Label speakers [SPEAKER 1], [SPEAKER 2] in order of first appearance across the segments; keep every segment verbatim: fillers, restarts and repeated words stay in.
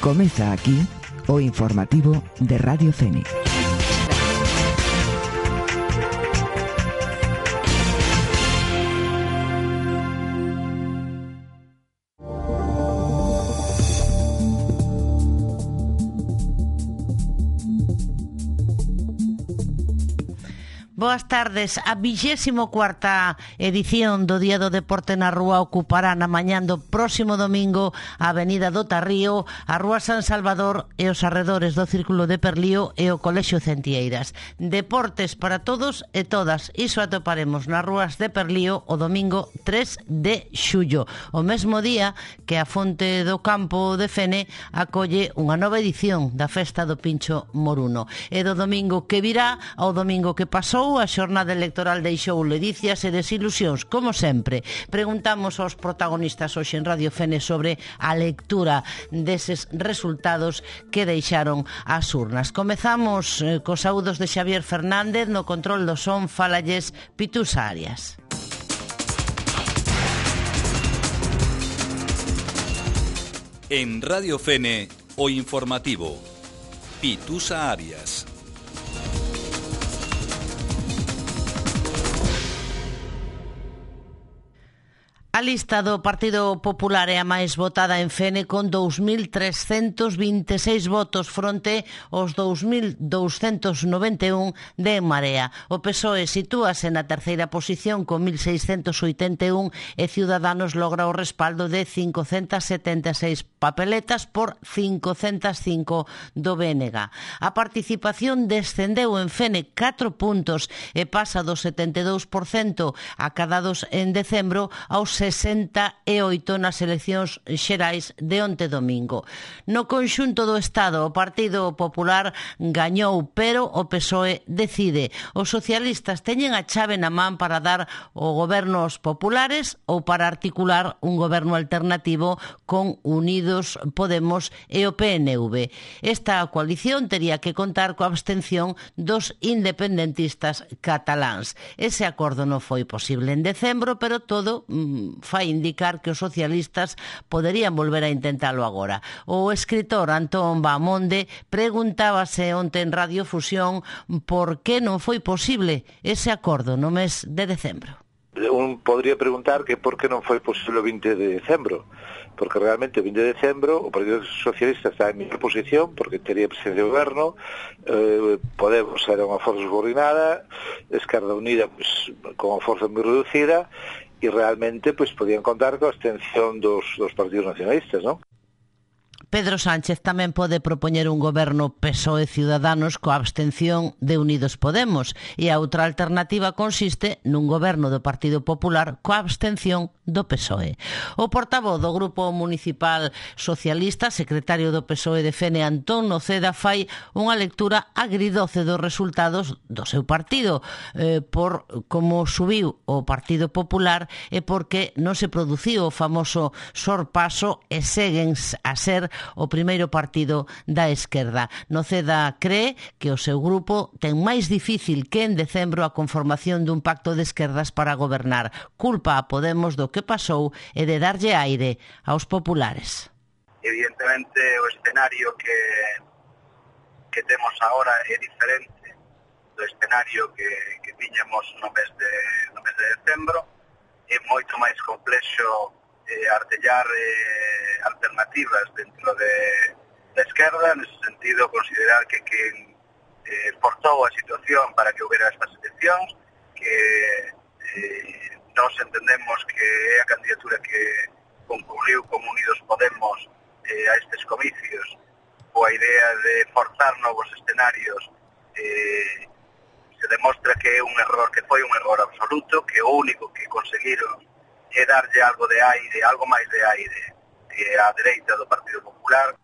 [SPEAKER 1] Comeza aquí o informativo de Radio Fénix.
[SPEAKER 2] Boas tardes. A vixésimo cuarta edición do Día do Deporte na Rúa ocupará na mañán do próximo domingo a Avenida do Tarrío, a Rúa San Salvador e os arredores do Círculo de Perlío e o Colexio Centieiras. Deportes para todos e todas. Iso atoparemos nas rúas de Perlío o domingo tres de xullo, o mesmo día que a Fonte do Campo de Fene acolle unha nova edición da Festa do Pincho Moruno. E do domingo que virá ao domingo que pasou, a xornada electoral deixou ledicias e desilusións, como sempre. Preguntamos aos protagonistas hoxe en Radio Fene sobre a lectura deses resultados que deixaron as urnas. Comezamos eh, cos saúdos de Xavier Fernández, no control do son falalles Pitusa Arias.
[SPEAKER 3] En Radio Fene, o informativo Pitusa Arias.
[SPEAKER 2] A lista do Partido Popular é a máis votada en Fene, con dous mil trescentos vinte e seis votos fronte aos dous mil douscentos noventa e un de En Marea. O P S O E sitúase na terceira posición con mil seiscentos oitenta e un e Ciudadanos logra o respaldo de cincocentas setenta e seis papeletas por cincocentas cinco do B N G. A participación descendeu en Fene catro puntos e pasa do setenta e dous por cento acadados en decembro aos sesenta e oito nas eleccións xerais de onte domingo. No conxunto do Estado, o Partido Popular gañou, pero o P S O E decide. Os socialistas teñen a chave na man para dar o goberno aos populares ou para articular un goberno alternativo con Unidos Podemos e o P N V. Esta coalición tería que contar coa abstención dos independentistas cataláns. Ese acordo non foi posible en decembro, pero todo mmm, fai indicar que os socialistas poderían volver a intentalo agora. O escritor Antón Bahamonde preguntábase onte en Radio Fusión por que non foi posible ese acordo no mes de decembro.
[SPEAKER 4] Un podría preguntar que por que non foi posible o vinte de decembro, porque realmente o vinte de decembro o Partido Socialista está en miña posición, porque tería presencia de goberno, eh, Podemos era unha forza subordinada, Esquerda Unida pues, con unha forza moi reducida, e realmente pues, podían contar coa abstención dos, dos partidos nacionalistas, non?
[SPEAKER 2] Pedro Sánchez tamén pode propoñer un goberno P S O E Ciudadanos coa abstención de Unidos Podemos, e a outra alternativa consiste nun goberno do Partido Popular coa abstención do P S O E. O portavoz do Grupo Municipal Socialista, secretario do P S O E de Fene, Antón Noceda, fai unha lectura agridoce dos resultados do seu partido, eh, por como subiu o Partido Popular e porque non se produciu o famoso sorpaso e seguen a ser o primeiro partido da esquerda. Noceda cree que o seu grupo ten máis difícil que en decembro a conformación dun pacto de esquerdas para gobernar. Culpa a Podemos do que pasou e de darlle aire aos populares.
[SPEAKER 5] Evidentemente o escenario que que temos agora é diferente do escenario que, que tiñamos no mes de, no mes de decembro. É moito máis complexo eh, artellar eh, alternativas dentro de da esquerda, nese sentido considerar que quen eh, forzou a situación para que houbera estas eleccións, que eh, nós entendemos que é a candidatura que concurriu como Unidos Podemos eh, a estes comicios, coa idea de forzar novos escenarios, eh, se demostra que é un error, que foi un error absoluto, que o único que conseguiron é darlle algo de aire, algo máis de aire eh, á dereita do Partido Popular.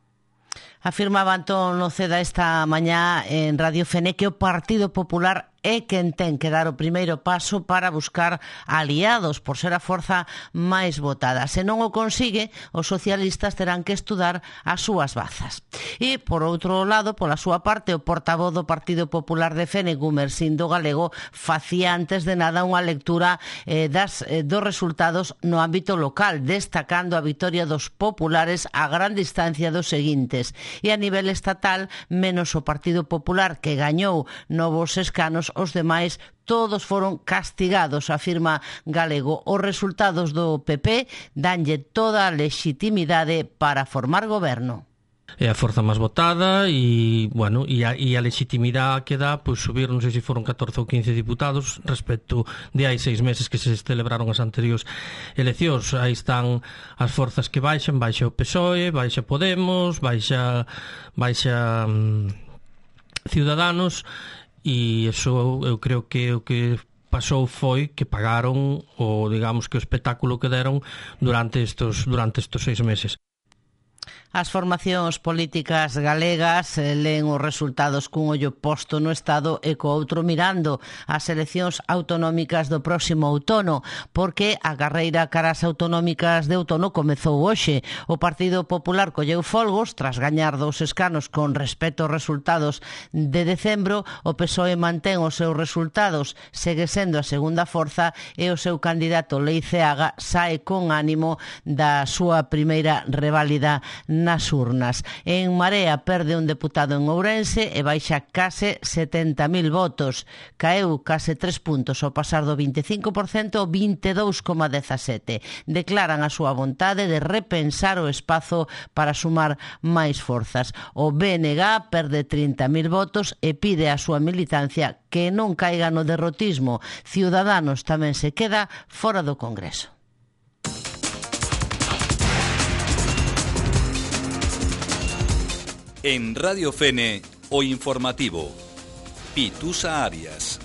[SPEAKER 2] Afirmaba Antón Noceda esta mañá en Radio Fene que o Partido Popular é quen ten que dar o primeiro paso para buscar aliados por ser a forza máis votada. Se non o consigue, os socialistas terán que estudar as súas bazas. E, por outro lado, pola súa parte, o portavoz do Partido Popular de Fene, Gumersindo Galego, facía antes de nada unha lectura eh, das, eh, dos resultados no ámbito local, destacando a vitoria dos populares a gran distancia dos seguintes. E a nivel estatal, menos o Partido Popular, que gañou novos escanos, os demais todos foron castigados, afirma Galego. Os resultados do P P danlle toda a lexitimidade para formar goberno.
[SPEAKER 6] É a forza máis votada e, bueno, e a, e a legitimidade que dá, pois subir, non sei se foron catorce ou quince diputados respecto de hai seis meses que se celebraron as anteriores eleccións. Aí están as forzas que baixan, baixa o P S O E, baixa Podemos, baixa baixa um, Ciudadanos, e iso eu creo que o que pasou foi que pagaron o, digamos, que o espectáculo que deron durante estos durante estos seis meses.
[SPEAKER 2] As formacións políticas galegas eh, leen os resultados cun ollo posto no Estado e co outro mirando as eleccións autonómicas do próximo outono, porque a carreira cara ás autonómicas de outono comezou hoxe. O Partido Popular colleu folgos tras gañar dous escanos con respecto aos resultados de decembro. O P S O E mantén os seus resultados, segue sendo a segunda forza, e o seu candidato Leiceaga sae con ánimo da súa primeira reválida nas urnas. En Marea perde un deputado en Ourense e baixa case setenta mil votos. Caeu case tres puntos ao pasar do vinte e cinco por cento ao vinte e dous coma dezasete. Declaran a súa vontade de repensar o espazo para sumar máis forzas. O B N G perde trinta mil votos e pide a súa militancia que non caiga no derrotismo. Ciudadanos tamén se queda fora do Congreso.
[SPEAKER 3] En Radio Fene, o informativo. Pitusa Arias.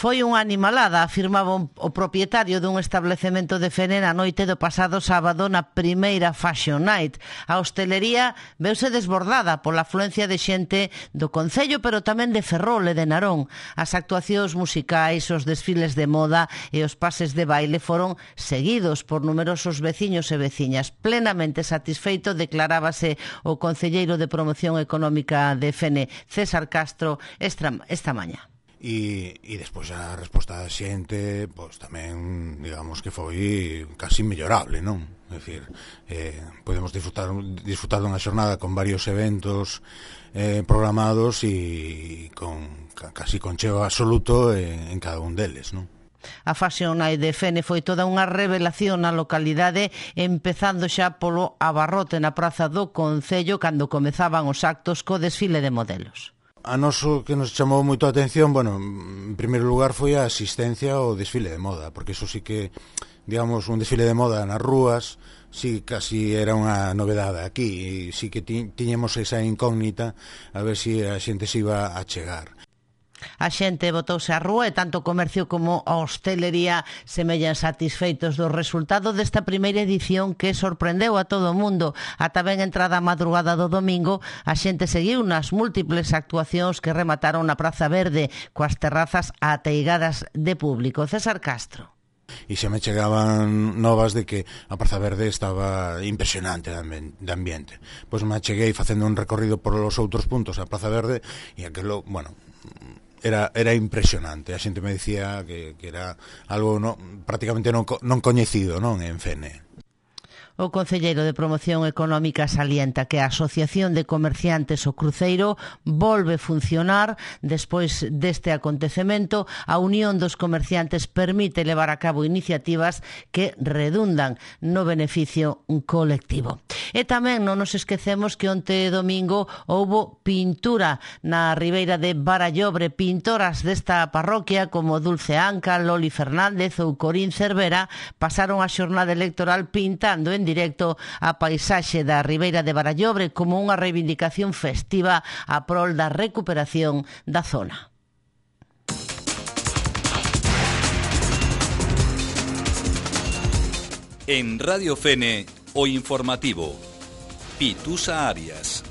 [SPEAKER 2] Foi unha animalada, afirmaba o propietario dun establecemento de Fene na noite do pasado sábado na primeira Fashion Night. A hostelería veuse desbordada pola afluencia de xente do concello, pero tamén de Ferrol e de Narón. As actuacións musicais, os desfiles de moda e os pases de baile foron seguidos por numerosos veciños e veciñas. Plenamente satisfeito declarábase o concelleiro de Promoción Económica de Fene, César Castro, esta, esta mañá.
[SPEAKER 7] E, e despois a resposta da xente, pois tamén, digamos que foi casi mellorable, non? É dicir, eh, podemos disfrutar, disfrutar dunha xornada con varios eventos eh, programados e con casi con cheo absoluto en, en cada un deles, non?
[SPEAKER 2] A Fashion Night de Fene foi toda unha revelación na localidade, empezando xa polo abarrote na praza do Concello cando comezaban os actos co desfile de modelos.
[SPEAKER 7] A noso que nos chamou moito a atención, bueno, en primeiro lugar foi a asistencia ao desfile de moda, porque eso sí que, digamos, un desfile de moda nas rúas, sí casi era unha novedade aquí, e sí que ti, tiñemos esa incógnita a ver se si a xente se iba a chegar.
[SPEAKER 2] A xente botouse á rúa e tanto o comercio como a hostelería semellan satisfeitos do resultado desta primeira edición que sorprendeu a todo o mundo. Ata ben entrada a madrugada do domingo, a xente seguiu nas múltiples actuacións que remataron na Praza Verde, coas terrazas ateigadas de público. César Castro.
[SPEAKER 7] E xa me chegaban novas de que a Praza Verde estaba impresionante de ambiente. Pois me cheguei facendo un recorrido por os outros puntos a Praza Verde e aquilo, bueno, Era, era impresionante. A xente me dicía que, que era algo no, prácticamente non, non coñecido, non, en Fene.
[SPEAKER 2] O concelleiro de Promoción Económica salienta que a Asociación de Comerciantes O Cruceiro volve funcionar despois deste acontecemento. A Unión dos Comerciantes permite levar a cabo iniciativas que redundan no beneficio colectivo. E tamén non nos esquecemos que onte domingo houbo pintura na ribeira de Barallobre. Pintoras desta parroquia como Dulce Anca, Loli Fernández ou Corín Cervera pasaron a xornada electoral pintando en directo a paisaxe da ribeira de Barallobre como unha reivindicación festiva a prol da recuperación da zona.
[SPEAKER 3] En Radio Fene, o informativo. Pitusa Arias.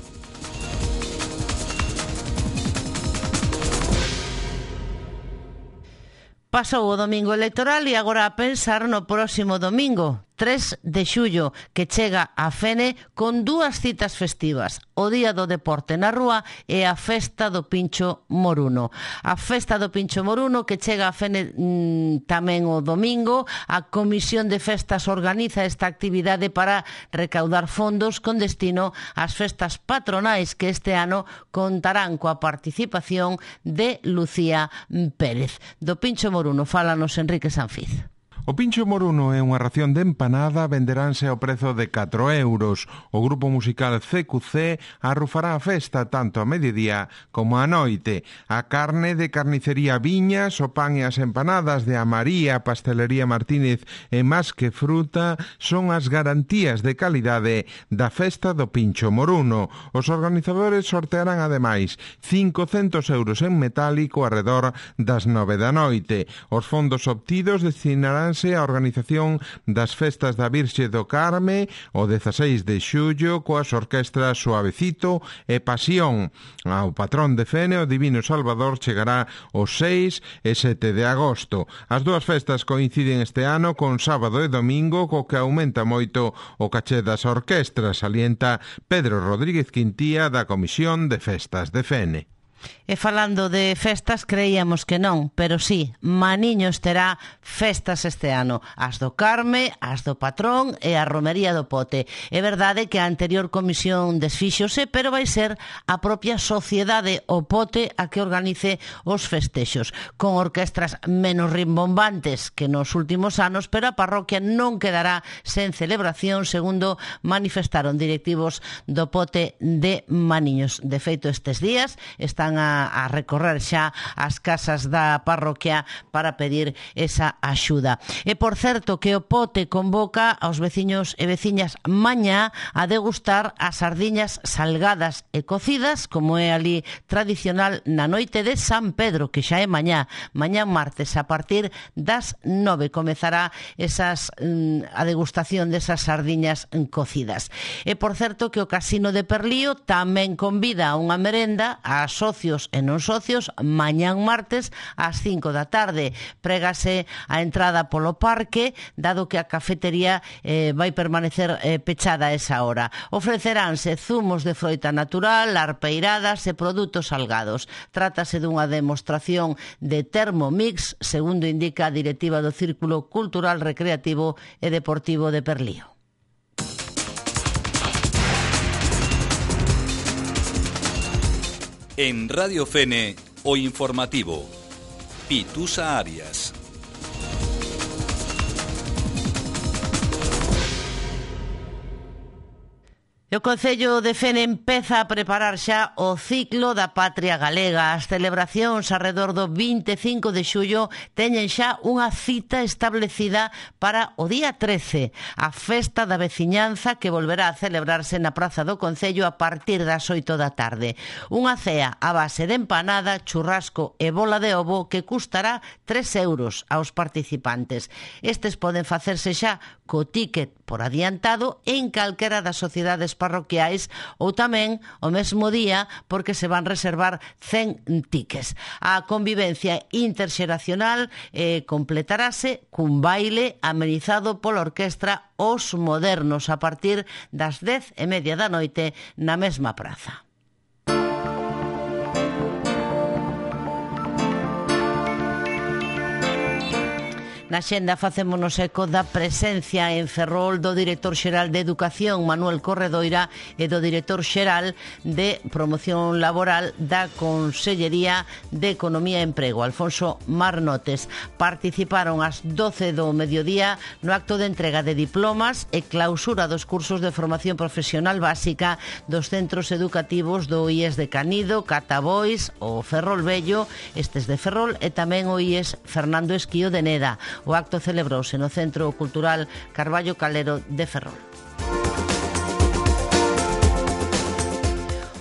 [SPEAKER 2] Pasou o domingo electoral e agora a pensar no próximo domingo, tres de xullo, que chega a Fene con dúas citas festivas, o Día do Deporte na Rúa e a Festa do Pincho Moruno. A Festa do Pincho Moruno que chega a Fene mmm, tamén o domingo. A Comisión de Festas organiza esta actividade para recaudar fondos con destino ás festas patronais que este ano contarán coa participación de Lucía Pérez. Do Pincho Moruno fálanos Enrique Sanfiz.
[SPEAKER 8] O pincho moruno é unha ración de empanada, venderánse ao prezo de catro euros. O grupo musical C Q C arrufará a festa tanto a mediodía como a noite. A carne de carnicería Viñas, o pan e as empanadas de Amaría, Pastelería Martínez e Más que Fruta son as garantías de calidade da festa do pincho moruno. Os organizadores sortearán ademais cincocentos euros en metálico arredor das nove da noite. Os fondos obtidos destinarán a organización das festas da Virxe do Carme o dezaseis de xullo coas orquestras Suavecito e Pasión. Ao patrón de Fene, o Divino Salvador, chegará os seis e sete de agosto. As dúas festas coinciden este ano con sábado e domingo, co que aumenta moito o caché das orquestras, salienta Pedro Rodríguez Quintía da Comisión de Festas de Fene.
[SPEAKER 2] E falando de festas, creíamos que non, pero sí, Maniños terá festas este ano, as do Carme, as do Patrón e a Romería do Pote. É verdade que a anterior comisión desfíxose, pero vai ser a propia sociedade o Pote a que organice os festexos, con orquestras menos rimbombantes que nos últimos anos, pero a parroquia non quedará sen celebración, segundo manifestaron directivos do Pote de Maniños. De feito, estes días están a a recorrer xa as casas da parroquia para pedir esa axuda. E por certo que o Pote convoca aos veciños e veciñas mañá a degustar as sardiñas salgadas e cocidas, como é ali tradicional na noite de San Pedro, que xa é mañá, mañá martes, a partir das nove comezará esas, a degustación desas sardiñas cocidas. E por certo que o Casino de Perlío tamén convida a unha merenda a socios e non socios mañán martes ás cinco da tarde. Prégase a entrada polo parque, dado que a cafetería eh, vai permanecer eh, pechada a esa hora. Ofreceránse zumos de froita natural, arpeiradas e produtos salgados. Trátase dunha demostración de Thermomix, segundo indica a directiva do Círculo Cultural, Recreativo e Deportivo de Perlío.
[SPEAKER 3] En Radio Fene, o informativo, Pitusa Arias.
[SPEAKER 2] E o Concello de Fene empeza a preparar xa o ciclo da Patria Galega. As celebracións arredor do vinte e cinco de xullo teñen xa unha cita establecida para o día trece, a Festa da Veciñanza, que volverá a celebrarse na Praza do Concello a partir das oito da tarde. Unha cea a base de empanada, churrasco e bola de ovo que custará tres euros aos participantes. Estes poden facerse xa co tícket por adiantado en calquera das sociedades parroquiais ou tamén o mesmo día, porque se van reservar cen tickets. A convivencia interxeracional eh, completarase cun baile amenizado pola orquestra Os Modernos a partir das dez e media da noite na mesma praza. Na xenda facémonos eco da presencia en Ferrol do director xeral de Educación, Manuel Corredoira, e do director xeral de Promoción Laboral da Consellería de Economía e Emprego, Alfonso Marnotes. Participaron ás doce do mediodía no acto de entrega de diplomas e clausura dos cursos de formación profesional básica dos centros educativos do I E S de Canido, Catabois, o Ferrol Vello, estes de Ferrol, e tamén o I E S Fernando Esquío de Neda. O acto celebrouse no Centro Cultural Carballo Calero de Ferrol.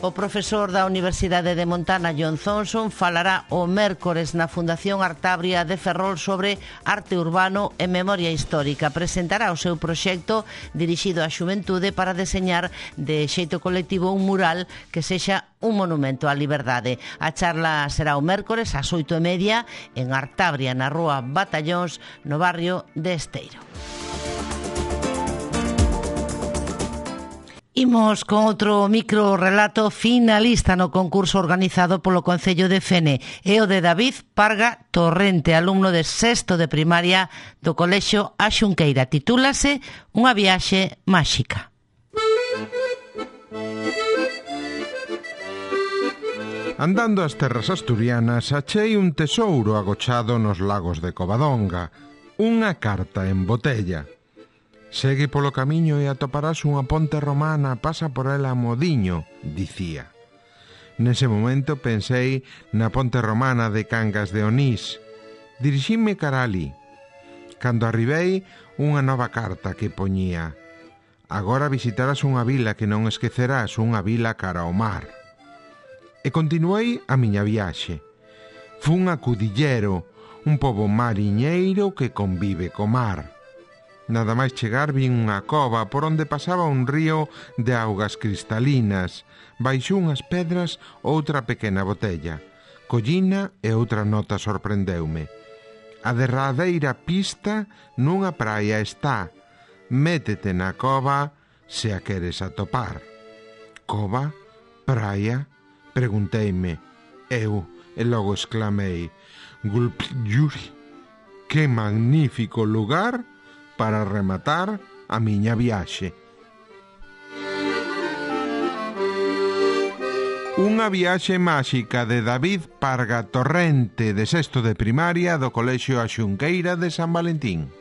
[SPEAKER 2] O profesor da Universidade de Montana, John Thompson, falará o mércores na Fundación Artabria de Ferrol sobre arte urbano e memoria histórica. Presentará o seu proxecto dirixido á xuventude para deseñar de xeito colectivo un mural que sexa un monumento á liberdade. A charla será o mércores ás oito e media en Artabria, na rúa Batallóns, no barrio de Esteiro. Imos con outro microrelato finalista no concurso organizado polo Concello de Fene, e o de David Parga Torrente, alumno de sexto de primaria do Colexio A Xunqueira. Titúlase Unha viaxe máxica.
[SPEAKER 8] Andando as terras asturianas, achei un tesouro agochado nos lagos de Covadonga, unha carta en botella. Segue polo camiño e atoparás unha ponte romana, pasa por ela modiño, dicía. Nese momento pensei na ponte romana de Cangas de Onís. Dirixime cara alí. Cando arribei, unha nova carta que poñía: agora visitarás unha vila que non esquecerás, unha vila cara ao mar. E continuei a miña viaxe. Fun a Cudillero, un pobo mariñeiro que convive co mar. Nada máis chegar vin unha cova por onde pasaba un río de augas cristalinas. Baixo unhas pedras outra pequena botella. Collina e outra nota sorprendeume. A derradeira pista nunha praia está. Métete na cova se a queres atopar. Cova? Praia? Pregunteime. Eu, e logo exclamei: Gulpjuri, que magnífico lugar para rematar a miña viaxe. Unha viaxe máxica de David Parga Torrente, de sexto de primaria do Colexio A Xunqueira de San Valentín.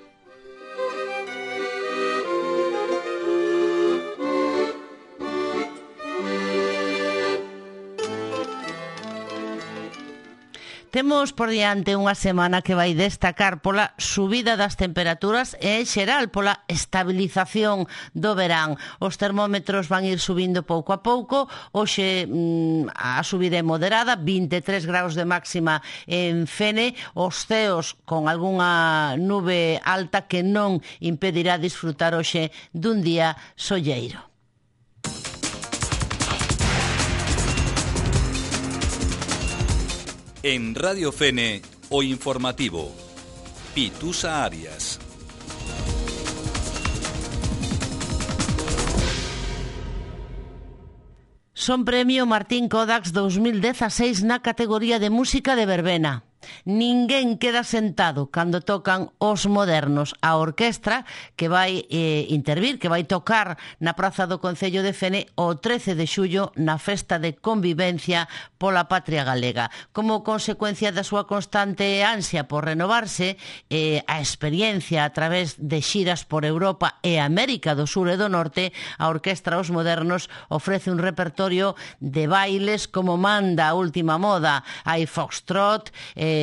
[SPEAKER 2] Temos por diante unha semana que vai destacar pola subida das temperaturas e, en xeral, pola estabilización do verán. Os termómetros van ir subindo pouco a pouco. Hoxe mmm, a subida é moderada, vinte e tres graus de máxima en Fene. Os ceos con algunha nube alta que non impedirá disfrutar hoxe dun día solleiro.
[SPEAKER 3] En Radio Fene, o informativo. Pitusa Arias.
[SPEAKER 2] Son premio Martín Kodax dos mil dezaseis na categoría de música de verbena. Ninguén queda sentado cando tocan Os Modernos, a orquestra que vai eh, intervir, que vai tocar na Praza do Concello de Fene o trece de xullo na festa de convivencia pola patria galega. Como consecuencia da súa constante ansia por renovarse, eh, a experiencia a través de xiras por Europa e América do Sur e do Norte, a orquestra Os Modernos ofrece un repertorio de bailes como manda a última moda. Hai foxtrot, eh,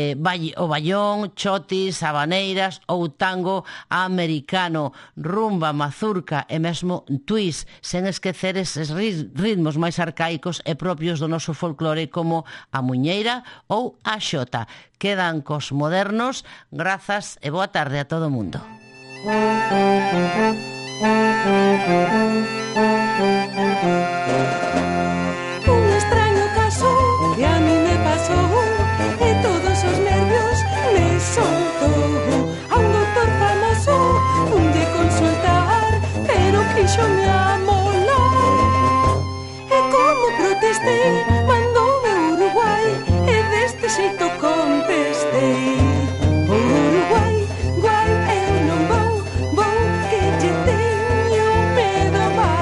[SPEAKER 2] o ballón, chotis, habaneiras ou tango americano, rumba, mazurca e mesmo twist, sen esquecer eses ritmos máis arcaicos e propios do noso folclore como a muñeira ou a xota. Quedan cos Modernos. Grazas e boa tarde a todo o mundo.
[SPEAKER 9] Un extraño caso que a mí me pasó e todos os nervios me soltou. A un doctor famoso un de consultar, pero quixo me amolar. E como protestei, mandoume a Uruguai e deste xeito contestei: Uruguai, guai, eu non vou, vou que lle teño medo máis.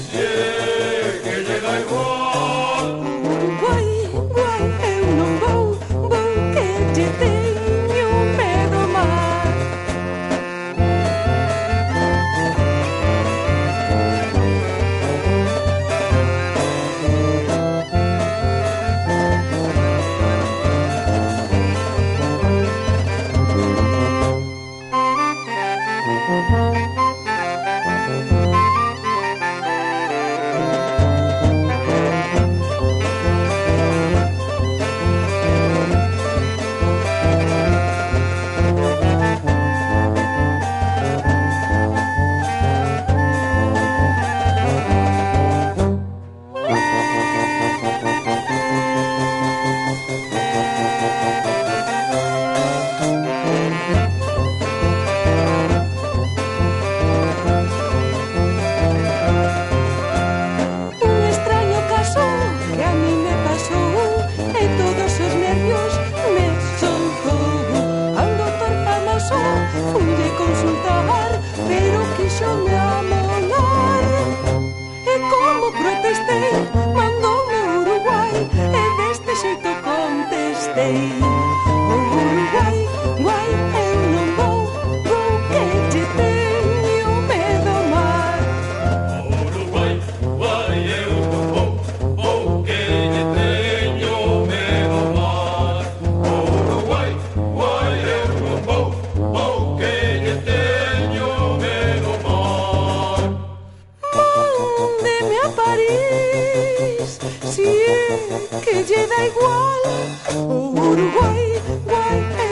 [SPEAKER 9] Si es que lle da igual, o Uruguai, guai,